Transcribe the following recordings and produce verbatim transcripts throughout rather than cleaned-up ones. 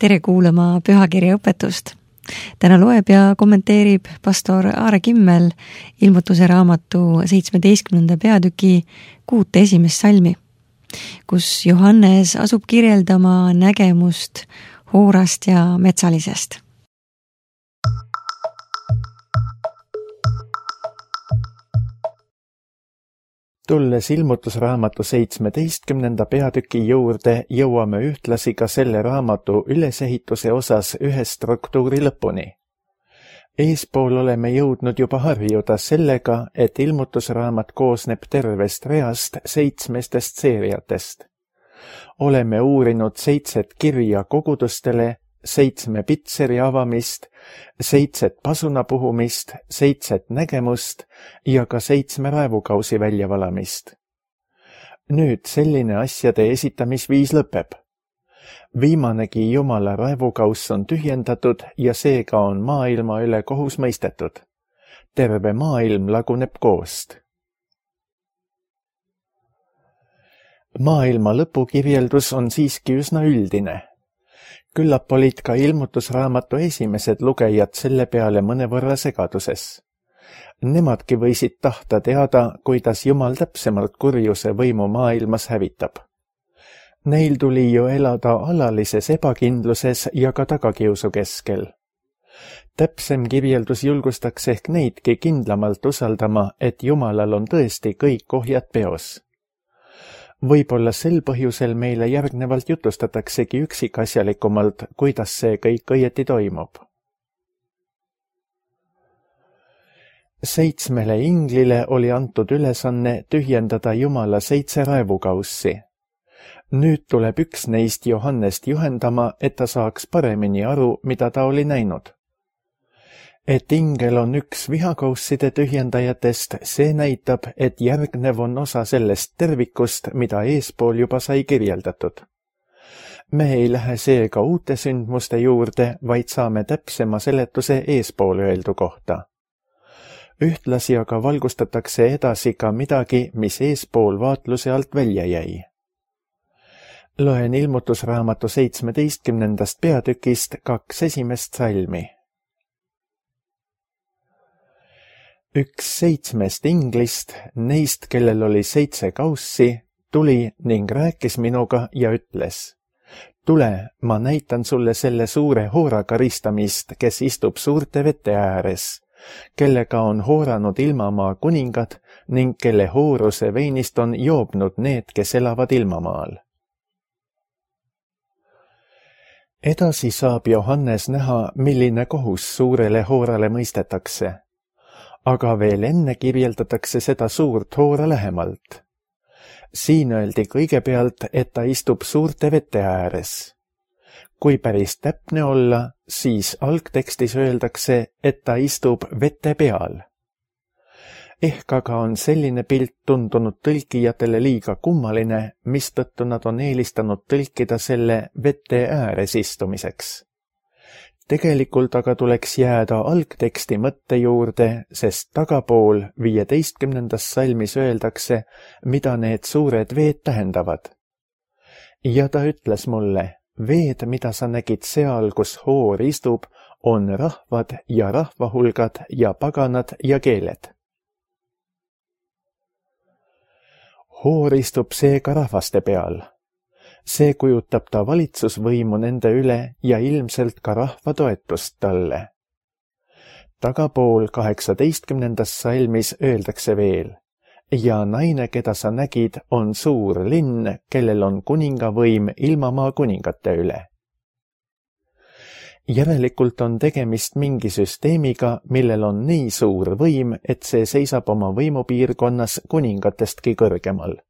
tere kuulama pühakirja õpetust. Täna loeb ja kommenteerib pastor Aare Kimmel ilmutuse raamatu seitsmeteistkümnenda peatüki kuute esimest salmi, kus Johannes asub kirjeldama nägemust hoorast ja metsalisest. Tulles ilmutusraamatu seitsmeteistkümnenda peatüki juurde, jõuame ühtlasi ka selle raamatu ülesehituse osas ühe struktuuri lõpuni. Eespool oleme jõudnud juba harjuda sellega, et ilmutusraamat koosneb tervest reast seitsmestest seeriatest. Oleme uurinud seitset kirja kogudustele, seitsme pitseri avamist, seitset pasuna puhumist, seitset nägemust ja ka seitsme raevukausi väljavalamist. Nüüd selline asjade esitamisviis lõpeb. Viimanegi Jumala raevukauss on tühjendatud ja seega on maailma üle kohus mõistetud. Terve maailm laguneb koost. Maailma lõpukirjeldus on siiski üsna üldine. Küllap olid ka ilmutusraamatu esimesed lugejad selle peale mõnevõrra segaduses. Nemadki võisid tahta teada, kuidas Jumal täpsemalt kurjuse võimu maailmas hävitab. Neil tuli ju elada alalises ebakindluses ja ka tagakiusu keskel. Täpsem kirjeldus julgustaks ehk neidki kindlamalt usaldama, et Jumalal on tõesti kõik ohjad peos. Võib-olla sel põhjusel meile järgnevalt jutustataksegi üksikasjalikumalt, kuidas see kõik õieti toimub. Seitsmele inglile oli antud ülesanne tühjendada Jumala seitse raevukaussi. Nüüd tuleb üks neist Johannest juhendama, et ta saaks paremini aru, mida ta oli näinud. Et ingel on üks vihakausside tühjendajatest, see näitab, et järgnev on osa sellest tervikust, mida eespool juba sai kirjeldatud. Me ei lähe seega uute sündmuste juurde, vaid saame täpsema seletuse eespool öeldu kohta. Ühtlasi aga valgustatakse edasi ka midagi, mis eespool vaatluse alt välja jäi. Loen ilmutusraamatu seitsmeteistkümnendast peatükist kaks esimest salmi. Üks seitsmest inglist, neist, kellel oli seitse kaussi, tuli ning rääkis minuga ja ütles: Tule, ma näitan sulle selle suure hoora karistamist, kes istub suurte vete ääres, kellega on hooranud ilmamaa kuningad ning kelle hooruse veinist on joobnud need, kes elavad ilmamaal. Edasi saab Johannes näha, milline kohus suurele hoorale mõistetakse. Aga veel enne kirjeldatakse seda suurt hoora lähemalt. Siin öeldi kõigepealt, et ta istub suurte vete ääres. Kui päris täpne olla, siis algtekstis öeldakse, et ta istub vete peal. Ehk aga on selline pilt tundunud tõlkijatele liiga kummaline, mistõttu nad on eelistanud tõlkida selle vete ääres istumiseks. Tegelikult aga tuleks jääda algteksti mõtte juurde, sest tagapool viieteistkümnendas salmis öeldakse, mida need suured veed tähendavad. Ja ta ütles mulle, veed, mida sa nägid seal, kus hoor istub, on rahvad ja rahvahulgad ja paganad ja keeled. Hoor istub seega rahvaste peal. See kujutab ta valitsusvõimu nende üle ja ilmselt ka rahva toetust talle. Tagapool kaheksateistkümnendas salmis öeldakse veel: Ja naine, keda sa nägid, on suur linn, kellel on kuningavõim ilmamaa kuningate üle. Järelikult on tegemist mingi süsteemiga, millel on nii suur võim, et see seisab oma võimupiirkonnas kuningatestki kõrgemal.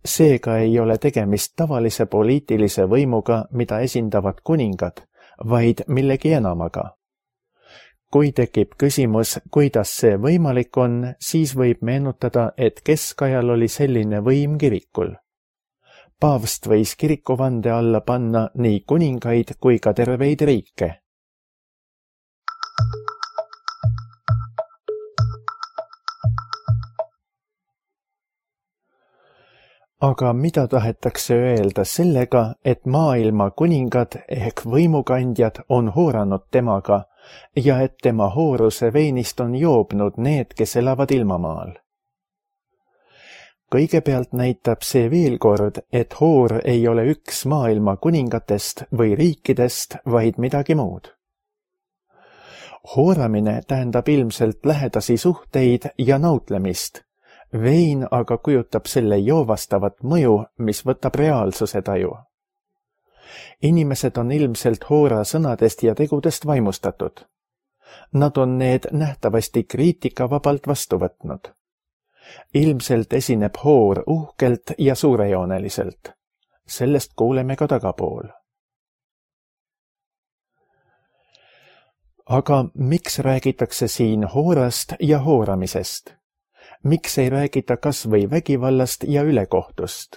Seega ei ole tegemist tavalise poliitilise võimuga, mida esindavad kuningad, vaid millegi enamaga. Kui tekib küsimus, kuidas see võimalik on, siis võib meenutada, et keskajal oli selline võim kirikul. Paavst võis kirikuvande alla panna nii kuningaid kui ka terveid riike. Aga mida tahetakse öelda sellega, et maailma kuningad ehk võimukandjad on hooranud temaga ja et tema hooruse veinist on joobnud need, kes elavad ilmamaal? Kõigepealt näitab see veel kord, et hoor ei ole üks maailma kuningatest või riikidest, vaid midagi muud. Hooramine tähendab ilmselt lähedasi suhteid ja nautlemist. Vein aga kujutab selle joovastavat mõju, mis võtab reaalsuse taju. Inimesed on ilmselt hoora sõnadest ja tegudest vaimustatud. Nad on need nähtavasti kriitikavabalt vastu võtnud. Ilmselt esineb hoor uhkelt ja suurejooneliselt. Sellest kuuleme ka tagapool. Aga miks räägitakse siin hoorast ja hooramisest? Miks ei räägita kas või vägivallast ja ülekohtust?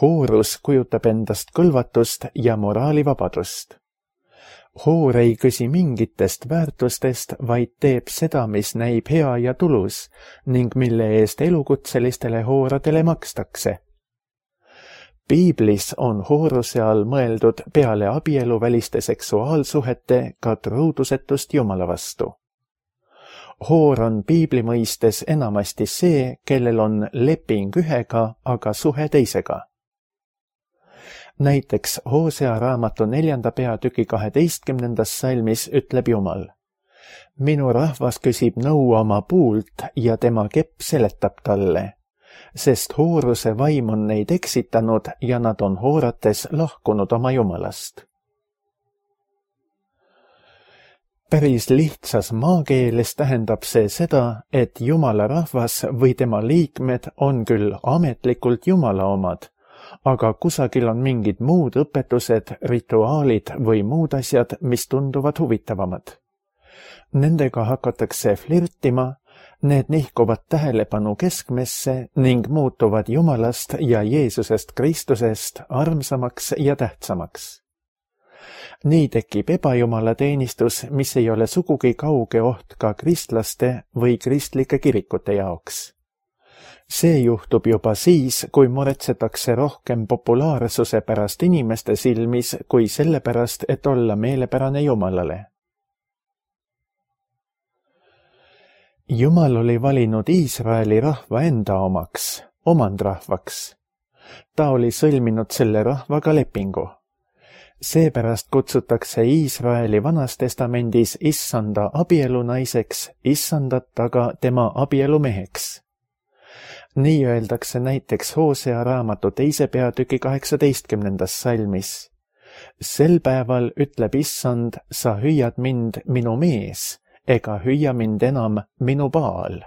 Hoorus kujutab endast kõlvatust ja moraalivabadust. Hoor ei küsi mingitest väärtustest, vaid teeb seda, mis näib hea ja tulus ning mille eest elukutselistele hooradele makstakse. Piiblis on hooruse all mõeldud peale abieluväliste seksuaalsuhete ka truudusetust Jumala vastu. Hoor on piibli mõistes enamasti see, kellel on leping ühega, aga suhe teisega. Näiteks Hoosea raamatu neljanda peatüki kaheteistkümnendas salmis ütleb Jumal: Minu rahvas küsib nõu oma puult ja tema kepp seletab talle, sest hooruse vaim on neid eksitanud ja nad on hoorates lahkunud oma Jumalast. Päris lihtsas maakeeles tähendab see seda, et Jumala rahvas või tema liikmed on küll ametlikult Jumala omad, aga kusagil on mingid muud õpetused, rituaalid või muud asjad, mis tunduvad huvitavamad. Nendega hakatakse flirtima, need nihkuvad tähelepanu keskmesse ning muutuvad Jumalast ja Jeesusest Kristusest armsamaks ja tähtsamaks. Nii tekib ebajumala teenistus, mis ei ole sugugi kauge oht ka kristlaste või kristlike kirikute jaoks. See juhtub juba siis, kui muretsetakse rohkem populaarsuse pärast inimeste silmis kui selle pärast, et olla meelepärane Jumalale. Jumal oli valinud Iisraeli rahva enda omaks, omandrahvaks. Ta oli sõlminud selle rahvaga lepingu. Seepärast kutsutakse Iisraeli Vanas testamendis issanda abielunaiseks, issandat aga tema abielumeheks. Nii öeldakse näiteks Hoosea raamatu teise peatüki kaheksateistkümnendas salmis. Sel päeval ütleb issand, sa hüüad mind minu mees, ega hüüa mind enam minu Baal.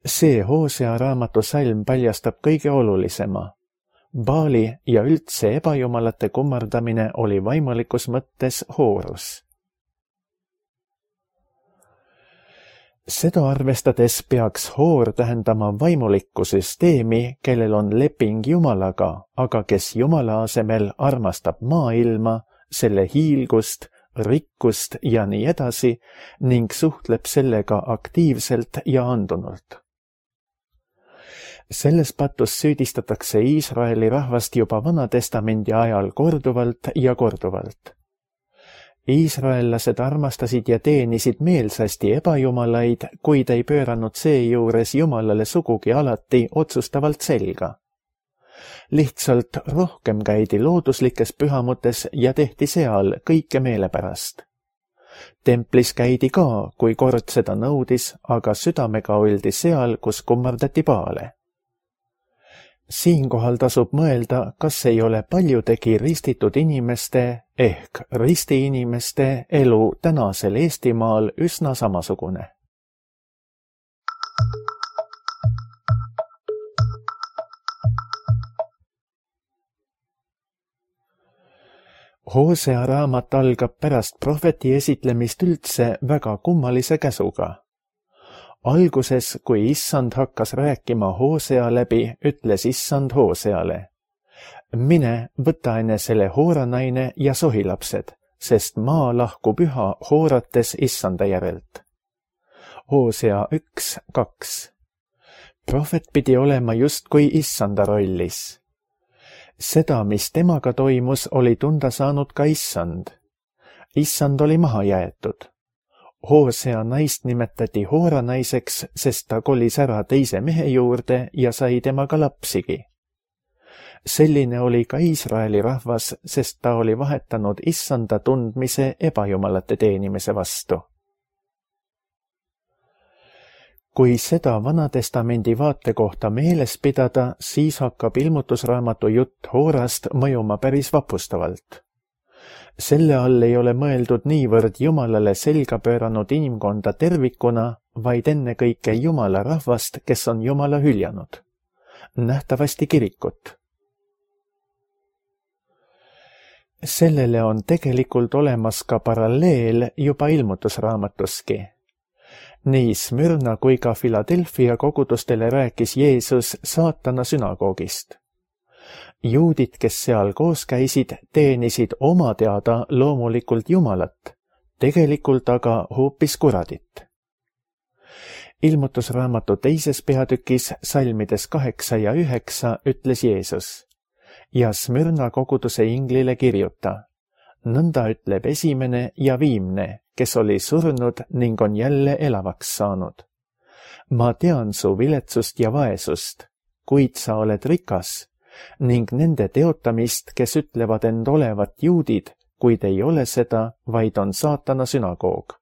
See Hoosea raamatu salm paljastab kõige olulisema. Baali ja üldse ebajumalate kummardamine oli vaimulikus mõttes hoorus. Seda arvestades peaks hoor tähendama vaimulikku süsteemi, kellel on leping Jumalaga, aga kes Jumala asemel armastab maailma, selle hiilgust, rikkust ja nii edasi ning suhtleb sellega aktiivselt ja andunult. Selles patus süüdistatakse Iisraeli rahvast juba Vanatestamendi ajal korduvalt ja korduvalt. Iisraellased armastasid ja teenisid meelsasti ebajumalaid, kuid ei pööranud seejuures Jumalale sugugi alati otsustavalt selga. Lihtsalt rohkem käidi looduslikes pühamutes ja tehti seal kõike meelepärast. Templis käidi ka, kui kord seda nõudis, aga südamega oldi seal, kus kummardati Baale. Siinkohal tasub mõelda, kas ei ole paljudegi ristitud inimeste ehk ristiinimeste elu tänasel Eestimaal üsna samasugune. Hoosea raamat algab pärast prohveti esitlemist üldse väga kummalise käsuga. Alguses, kui issand hakkas rääkima Hoosea läbi, ütles issand Hooseale: Mine, võta enesele hooranaine ja sohilapsed, sest maa lahkub üha hoorates issanda järelt. Hoosea üks kaks. Prohvet pidi olema justkui issanda rollis. Seda, mis temaga toimus, oli tunda saanud ka issand. Issand oli maha jäetud. Hoosea naist nimetati Hoora naiseks, sest ta kolis ära teise mehe juurde ja sai temaga lapsigi. Selline oli ka Iisraeli rahvas, sest ta oli vahetanud issanda tundmise ebajumalate teenimise vastu. Kui seda Vanatestamendi vaatekohta meeles pidada, siis hakkab ilmutusraamatu jutt Hoorast mõjuma päris vapustavalt. Selle all ei ole mõeldud niivõrd Jumalale selga pööranud inimkonda tervikuna, vaid ennekõike Jumala rahvast, kes on Jumala hüljanud. Nähtavasti kirikut. Sellele on tegelikult olemas ka paralleel juba ilmutusraamatuski. Nii Smyrna kui ka Philadelphia kogudustele rääkis Jeesus saatana sünagoogist. Juudid, kes seal koos käisid, teenisid oma teada loomulikult Jumalat, tegelikult aga hoopis kuradit. Ilmutusraamatu teises peatükis salmides kaheksa ja üheksa ütles Jeesus: ja Smyrna koguduse inglile kirjuta, nõnda ütleb esimene ja viimne, kes oli surnud ning on jälle elavaks saanud. Ma tean su viletsust ja vaesust, kuid sa oled rikas, ning nende teotamist, kes ütlevad end olevat juudid, kuid ei ole seda, vaid on saatana sünagoog.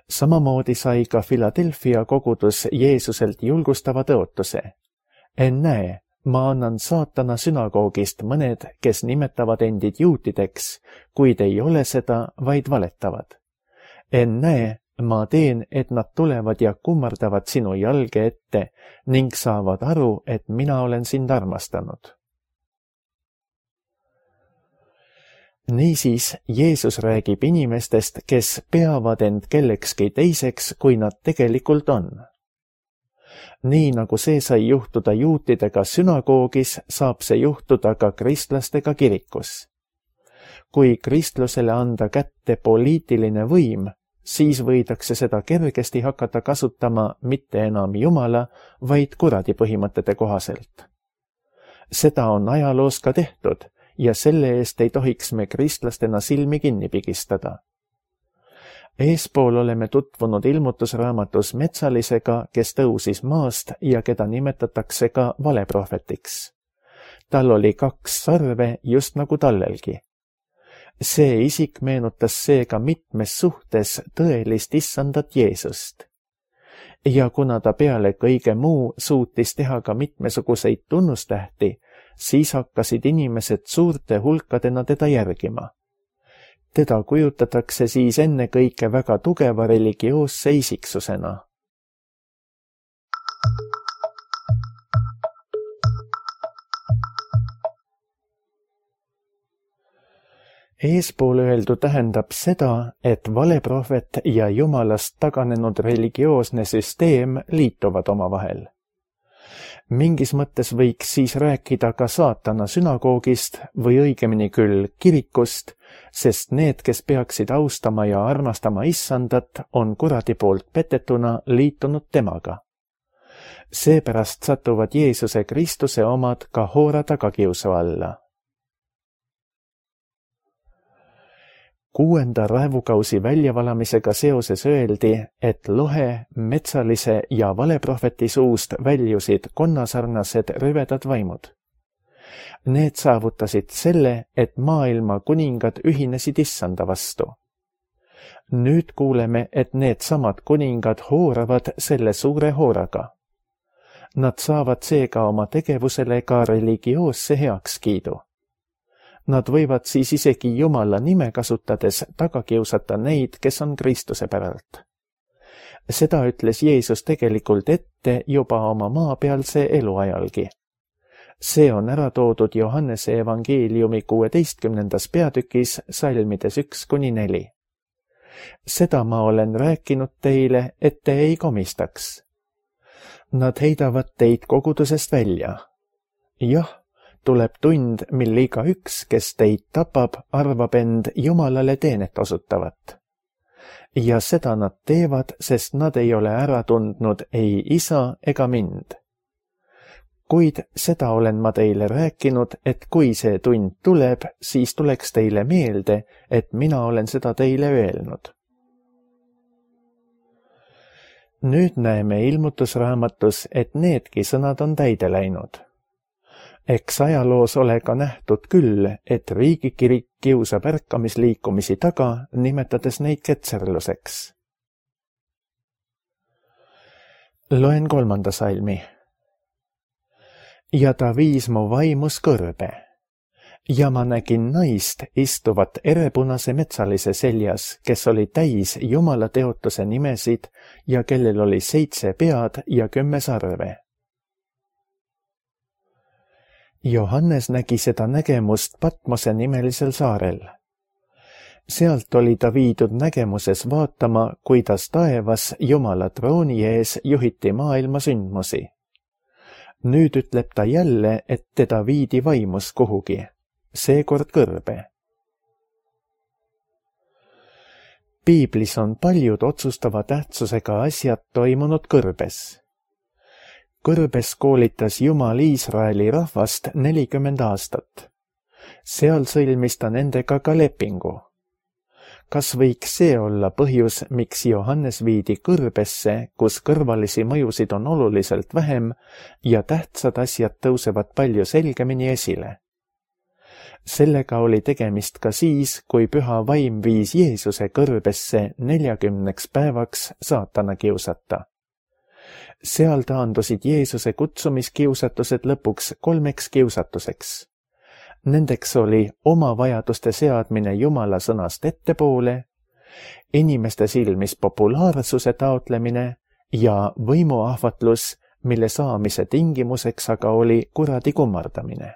Samamoodi sai ka Philadelphia kogudus Jeesuselt julgustava tõotuse. Ennäe, ma annan saatana sünagoogist mõned, kes nimetavad endid juutideks, kuid ei ole seda, vaid valetavad. Ennäe, ma teen, et nad tulevad ja kummardavad sinu jalge ette ning saavad aru, et mina olen sind armastanud. Niisiis, Jeesus räägib inimestest, kes peavad end kellekski teiseks, kui nad tegelikult on. Nii nagu see sai juhtuda juutidega sünagoogis, saab see juhtuda ka kristlastega kirikus. Kui kristlusele anda kätte poliitiline võim, siis võidakse seda kergesti hakata kasutama mitte enam Jumala, vaid kuradi põhimõtete kohaselt. Seda on ajaloos ka tehtud ja selle eest ei tohiks me kristlastena silmi kinni pigistada. Eespool oleme tutvunud ilmutusraamatus metsalisega, kes tõusis maast ja keda nimetatakse ka valeprohvetiks. Tal oli kaks sarve just nagu tallelgi. See isik meenutas seega mitmes suhtes tõelist issandat Jeesust. Ja kuna ta peale kõige muu suutis teha ka mitmesuguseid tunnustähti, siis hakkasid inimesed suurte hulkadena teda järgima. Teda kujutatakse siis ennekõike väga tugeva religioosse isiksusena. Eespool öeldu tähendab seda, et valeprohvet ja Jumalast taganenud religioosne süsteem liituvad omavahel. Mingis mõttes võiks siis rääkida ka saatana sünagoogist või õigemini küll kirikust, sest need, kes peaksid austama ja armastama issandat, on kuradi poolt petetuna liitunud temaga. Seepärast satuvad Jeesuse Kristuse omad ka Hoora tagakiusu alla. Kuuenda raevukausi väljavalamisega seoses öeldi, et lohe, metsalise ja valeprohveti suust väljusid konnasarnased rüvedad vaimud. Need saavutasid selle, et maailma kuningad ühinesid issanda vastu. Nüüd kuuleme, et need samad kuningad hooravad selle suure hooraga. Nad saavad seega oma tegevusele ka religioosse heakskiidu. Nad võivad siis isegi Jumala nime kasutades taga kiusata neid, kes on Kristuse päralt. Seda ütles Jeesus tegelikult ette juba oma maapealse eluajalgi. See on ära toodud Johannese evangeeliumi kuueteistkümnendas peatükis salmides üks kuni neli. Seda ma olen rääkinud teile, et te ei komistaks. Nad heidavad teid kogudusest välja. Jah, tuleb tund, mil iga üks, kes teid tapab, arvab end Jumalale teenet osutavat. ja seda nad teevad, sest nad ei ole ära tundnud ei isa ega mind. Kuid seda olen ma teile rääkinud, et kui see tund tuleb, siis tuleks teile meelde, et mina olen seda teile öelnud. Nüüd näeme ilmutusraamatus, et needki sõnad on täide läinud. Eks ajaloos ole ka nähtud küll, et riigikirik kiusab ärkamisliikumisi taga, nimetades neid ketserluseks. Loen kolmanda salmi. Ja ta viis mu vaimus kõrbe, ja ma nägin naist istuvat erepunase metsalise seljas, kes oli täis Jumala teotuse nimesid ja kellel oli seitse pead ja kümme sarve. Johannes nägi seda nägemust Patmose nimelisel saarel. Sealt oli ta viidud nägemuses vaatama, kuidas taevas Jumala trooni ees juhiti maailma sündmusi. Nüüd ütleb ta jälle, et teda viidi vaimus kuhugi, seekord kõrbe. Piiblis on paljud otsustava tähtsusega asjad toimunud kõrbes. Kõrbes koolitas Jumal Iisraeli rahvast nelikümmend aastat. Seal sõlmis ta nendega ka lepingu. Kas võiks see olla põhjus, miks Johannes viidi kõrbesse, kus kõrvalisi mõjusid on oluliselt vähem ja tähtsad asjad tõusevad palju selgemini esile? Sellega oli tegemist ka siis, kui püha vaim viis Jeesuse kõrbesse neljakümneks päevaks saatana kiusata. Seal taandusid Jeesuse kutsumiskiusatused lõpuks kolmeks kiusatuseks. Nendeks oli oma vajaduste seadmine Jumala sõnast ettepoole, inimeste silmis populaarsuse taotlemine ja võimuahvatlus, mille saamise tingimuseks aga oli kuradi kummardamine.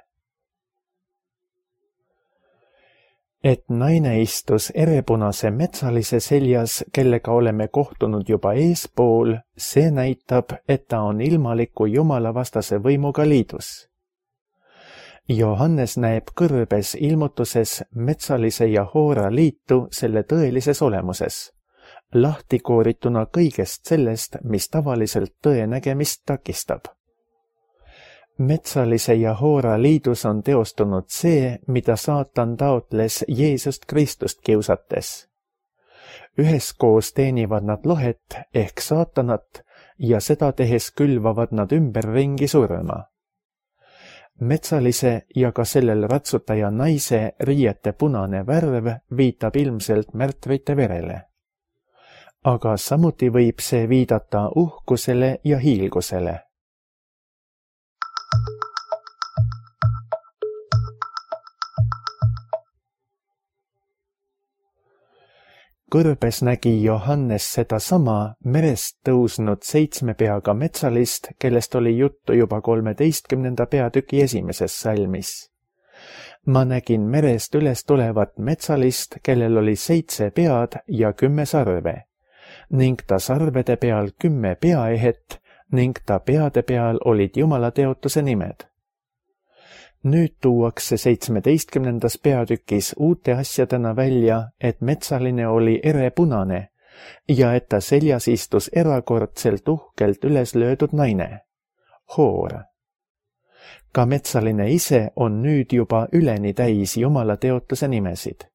Et naine istus erepunase metsalise seljas, kellega oleme kohtunud juba eespool, see näitab, et ta on ilmaliku Jumala vastase võimuga liidus. Johannes näeb kõrbes ilmutuses metsalise ja hoora liitu selle tõelises olemuses, lahti koorituna kõigest sellest, mis tavaliselt tõe nägemist takistab. Metsalise ja hoora liidus on teostunud see, mida saatan taotles Jeesust Kristust kiusates. Üheskoos teenivad nad lohet ehk saatanat ja seda tehes külvavad nad ümberringi surma. Metsalise ja ka sellel ratsutaja naise riiete punane värv viitab ilmselt märtrite verele. Aga samuti võib see viidata uhkusele ja hiilgusele. Kõrbes nägi Johannes seda sama merest tõusnud seitsme peaga metsalist, kellest oli juttu juba kolmeteistkümnenda peatüki esimeses salmis. Ma nägin merest üles tulevat metsalist, kellel oli seitse pead ja kümme sarve, ning ta sarvede peal kümme peaehet ning ta peade peal olid Jumala teotuse nimed. Nüüd tuuakse seitsmeteistkümnendas peatükis uute asjadena välja, et metsaline oli erepunane ja et ta seljas istus erakordselt uhkelt üles löödud naine, hoor. Ka metsaline ise on nüüd juba üleni täis Jumala teotuse nimesid.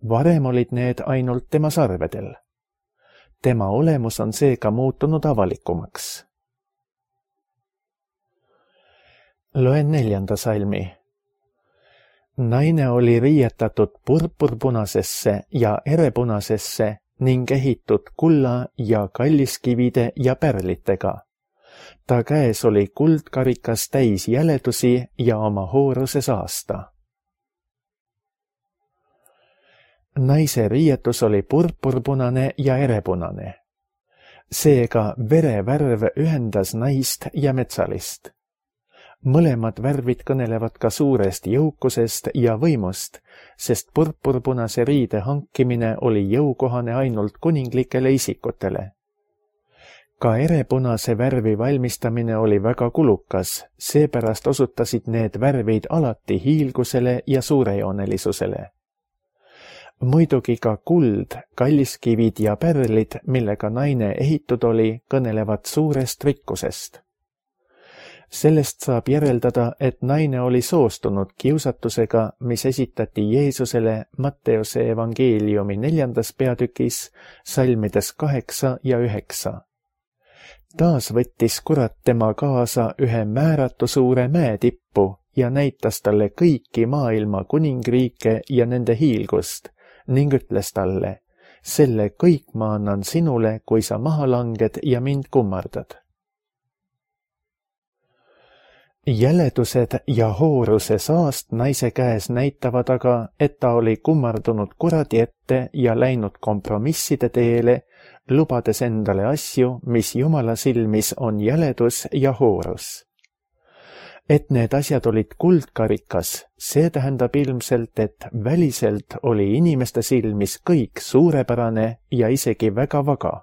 Varem olid need ainult tema sarvedel. Tema olemus on seega muutunud avalikumaks. Loen neljanda salmi. Naine oli riietatud purpurpunasesse ja erepunasesse ning ehitud kulla ja kalliskivide ja pärlitega. Ta käes oli kuldkarikas täis jäledusi ja oma hooruse saasta. Naise riietus oli purpurpunane ja erepunane. Seega verevärv ühendas naist ja metsalist. Mõlemad värvid kõnelevad ka suurest jõukusest ja võimust, sest purpurpunase riide hankimine oli jõukohane ainult kuninglikele isikutele. Ka erepunase värvi valmistamine oli väga kulukas, seepärast osutasid need värvid alati hiilgusele ja suurejoonelisusele. muidugi ka kuld, kalliskivid ja pärlid, millega naine ehitud oli, kõnelevad suurest rikkusest. Sellest saab järeldada, et naine oli soostunud kiusatusega, mis esitati Jeesusele Matteuse evangeeliumi neljandas peatükis, salmides kaheksa ja üheksa. Taas võttis kurat tema kaasa ühe määratu suure mäetippu ja näitas talle kõiki maailma kuningriike ja nende hiilgust ning ütles talle, selle kõik ma annan sinule, kui sa maha langed ja mind kummardad. Jäledused ja hooruse saast naise käes näitavad aga, et ta oli kummardunud kuradi ette ja läinud kompromisside teele, lubades endale asju, mis Jumala silmis on jäledus ja hoorus. Et need asjad olid kuldkarikas, see tähendab ilmselt, et väliselt oli inimeste silmis kõik suurepärane ja isegi väga vaga.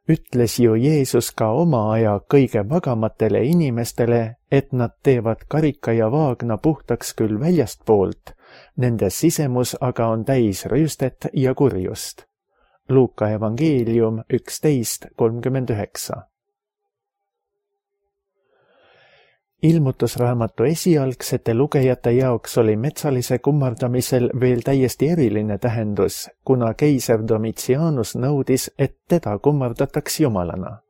Ütles ju Jeesus ka oma aja kõige vagamatele inimestele, et nad teevad karika ja vaagna puhtaks küll väljastpoolt, nende sisemus aga on täis rüüstet ja kurjust. Luuka evangeelium üksteist kolmkümmend üheksa. Ilmutusraamatu esialgsete lugejate jaoks oli metsalise kummardamisel veel täiesti eriline tähendus, kuna keiser Domitianus nõudis, et teda kummardataks jumalana.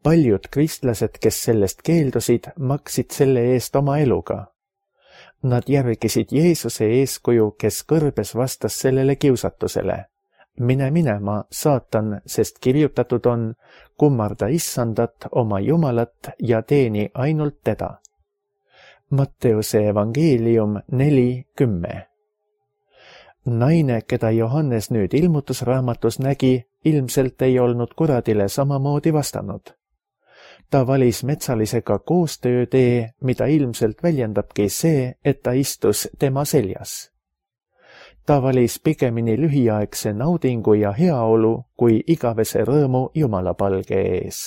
Paljud kristlased, kes sellest keeldusid, maksid selle eest oma eluga. Nad järgisid Jeesuse eeskuju, kes kõrbes vastas sellele kiusatusele. Mine minema, saatan, sest kirjutatud on, kummarda issandat, oma Jumalat ja teeni ainult teda. Matteuse evangeelium neli kümme. Naine, keda Johannes nüüd ilmutusraamatus nägi, ilmselt ei olnud kuradile samamoodi vastanud. Ta valis metsalisega koostöötee, mida ilmselt väljendabki see, et ta istus tema seljas. Ta valis pigemini lühiaegse naudingu ja heaolu kui igavese rõõmu Jumala palge ees.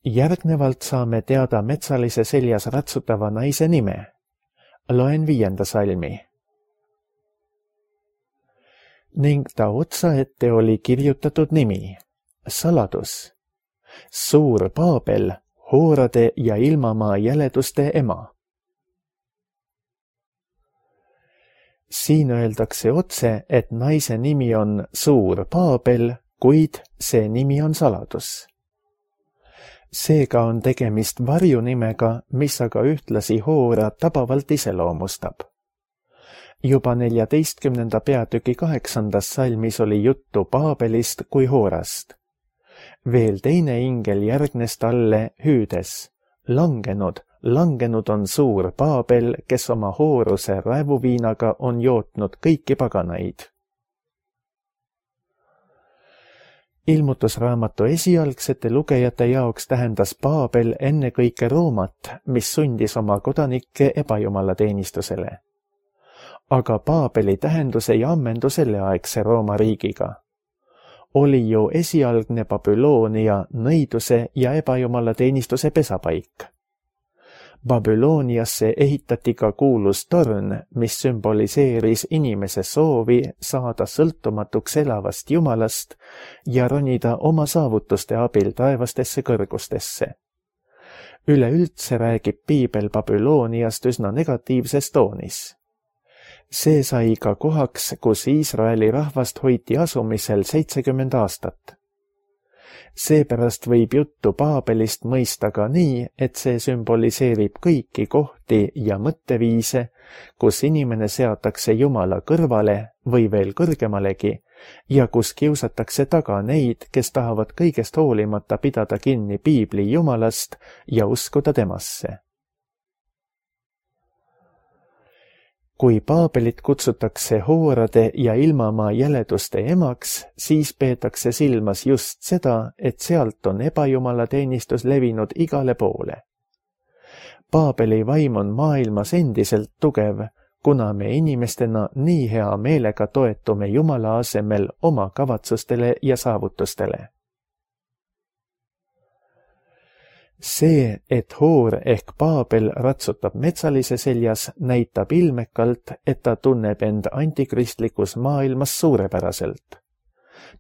Järgnevalt saame teada metsalise seljas ratsutava naise nime. Loen viienda salmi. Ning ta otsaette oli kirjutatud nimi, saladus, suur Paabel, hoorade ja ilmamaa jäleduste ema. Siin öeldakse otse, et naise nimi on suur Paabel, kuid see nimi on saladus. Seega on tegemist varjunimega, mis aga ühtlasi hoora tabavalt iseloomustab. Juba neljateistkümnenda peatüki kaheksandas salmis oli juttu Paabelist kui hoorast. Veel teine ingel järgnes talle hüüdes, langenud, langenud on suur Paabel, kes oma hooruse raevuviinaga on jootnud kõiki paganaid. Ilmutusraamatu esialgsete lugejate jaoks tähendas Paabel ennekõike Roomat, mis sundis oma kodanikke ebajumalateenistusele. Aga Paabeli tähendus ei ammendu selleaegse Rooma riigiga. Oli ju esialgne Babyloonia nõiduse ja ebajumalateenistuse pesapaik. Babyloniasse ehitati ka kuulus torn, mis sümboliseeris inimese soovi saada sõltumatuks elavast Jumalast ja ronida oma saavutuste abil taevastesse kõrgustesse. Üleüldse räägib piibel Babyloniast üsna negatiivses toonis. See sai ka kohaks, kus Iisraeli rahvast hoiti asumisel seitsekümmend aastat. Seepärast võib juttu Paabelist mõista ka nii, et see sümboliseerib kõiki kohti ja mõtteviise, kus inimene seatakse Jumala kõrvale või veel kõrgemalegi ja kus kiusatakse taga neid, kes tahavad kõigest hoolimata pidada kinni piibli Jumalast ja uskuda temasse. Kui Paabelit kutsutakse hoorade ja ilmamaa jäleduste emaks, siis peetakse silmas just seda, et sealt on ebajumalateenistus levinud igale poole. Paabeli vaim on maailmas endiselt tugev, kuna me inimestena nii hea meelega toetume Jumala asemel oma kavatsustele ja saavutustele. see, et Hoor ehk Paabel ratsutab metsalise seljas, näitab ilmekalt, et ta tunneb end antikristlikus maailmas suurepäraselt.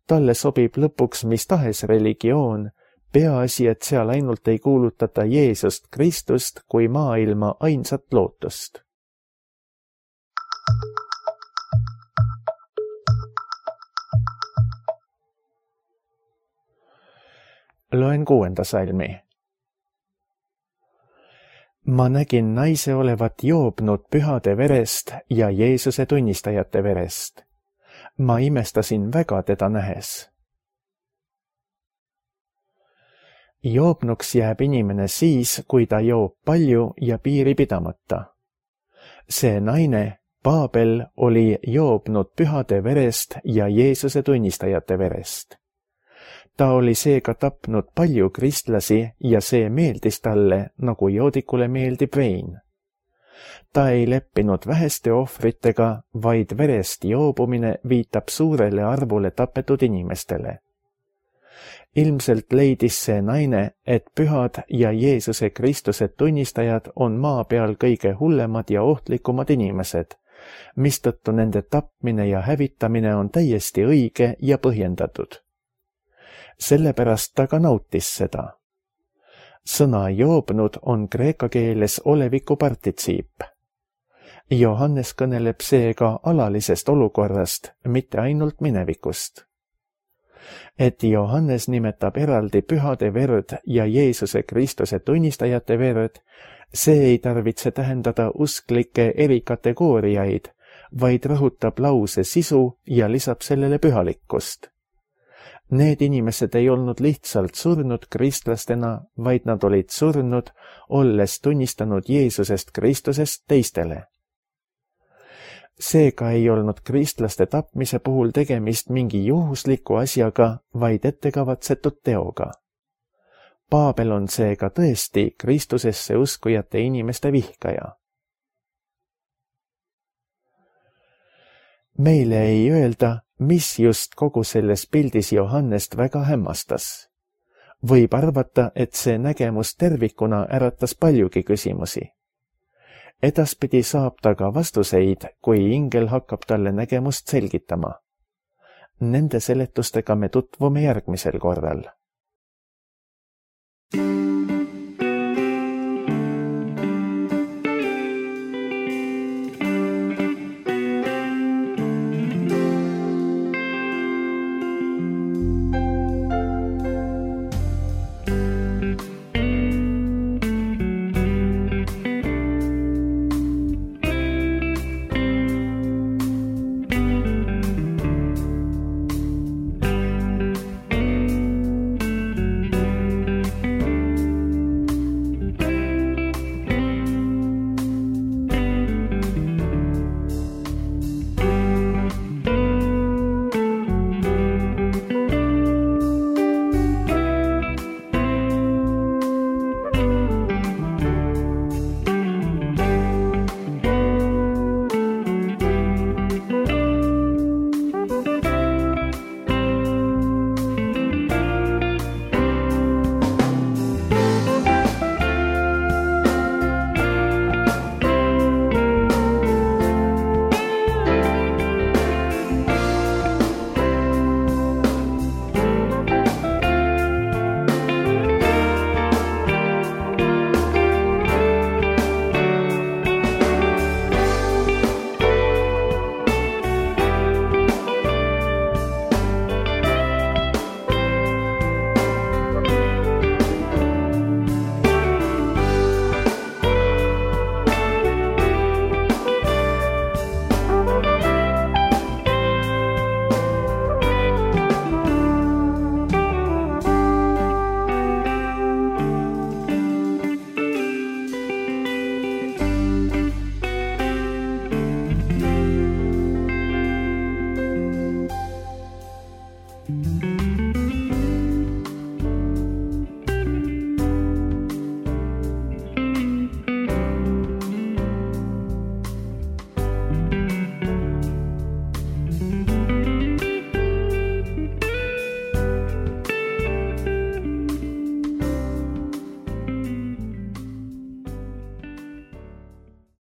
Talle sobib lõpuks mis tahes religioon, peaasi, et seal ainult ei kuulutata Jeesust Kristust kui maailma ainsat lootust. Loen kuuenda salmi. Ma nägin naise olevat joobnud pühade verest ja Jeesuse tunnistajate verest. Ma imestasin väga teda nähes. Joobnuks jääb inimene siis, kui ta joob palju ja piiri pidamata. See naine, Paabel, oli joobnud pühade verest ja Jeesuse tunnistajate verest. Ta oli seega tapnud palju kristlasi ja see meeldis talle, nagu joodikule meeldib vein. Ta ei leppinud väheste ohvritega, vaid verest joobumine viitab suurele arvule tapetud inimestele. Ilmselt leidis see naine, et pühad ja Jeesuse Kristuse tunnistajad on maa peal kõige hullemad ja ohtlikumad inimesed, mistõttu nende tapmine ja hävitamine on täiesti õige ja põhjendatud. Sellepärast ta ka nautis seda. Sõna joobnud on kreeka keeles oleviku partitsiip. Johannes kõneleb seega alalisest olukorrast, mitte ainult minevikust. Et Johannes nimetab eraldi pühade verd ja Jeesuse Kristuse tunnistajate verd, see ei tarvitse tähendada usklikke erikategooriaid, vaid rõhutab lause sisu ja lisab sellele pühalikkust. Need inimesed ei olnud lihtsalt surnud kristlastena, vaid nad olid surnud, olles tunnistanud Jeesusest Kristusest teistele. Seega ei olnud kristlaste tapmise puhul tegemist mingi juhusliku asjaga, vaid ettekavatsetud teoga. Paabel on seega tõesti Kristusesse uskujate inimeste vihkaja. Meile ei öelda, mis just kogu selles pildis Johannest väga hämmastas. Võib arvata, et see nägemus tervikuna äratas paljugi küsimusi. Edaspidi saab ta ka vastuseid, kui ingel hakkab talle nägemust selgitama. Nende seletustega me tutvume järgmisel korral.